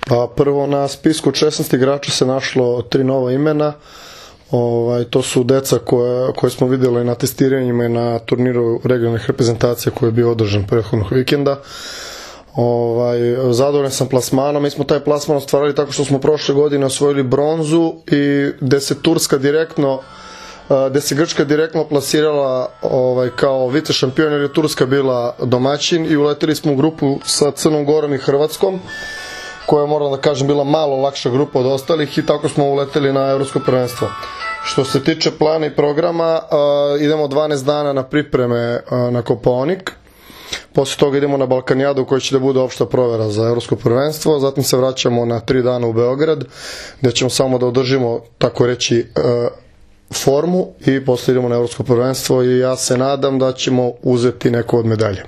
Pa prvo na spisku od 16 igrača se našlo 3 nova imena. To su deca koje smo vidjeli na testiranjima i na turniru regionalnih reprezentacija koji je bio održan prethodnog vikenda. Zadovoljan sam plasmanom. Mi smo taj plasman ostvarili tako što smo prošle godine osvojili bronzu i gde se Grčka direktno plasirala kao vice šampion, jer je Turska bila domaćin, i uleteli smo u grupu sa Crnom Gorom i Hrvatskom, koja, moram da kažem, bila malo lakša grupa od ostalih, i tako smo uleteli na evropsko prvenstvo. Što se tiče plana i programa, idemo 12 dana na pripreme na Kopaonik. Posle toga idemo na Balkanijadu, u kojoj će da bude opšta provera za evropsko prvenstvo. Zatim se vraćamo na 3 dana u Beograd, gde ćemo samo da održimo, tako reći, formu, i posle idemo na evropsko prvenstvo, i ja se nadam da ćemo uzeti neko od medalje.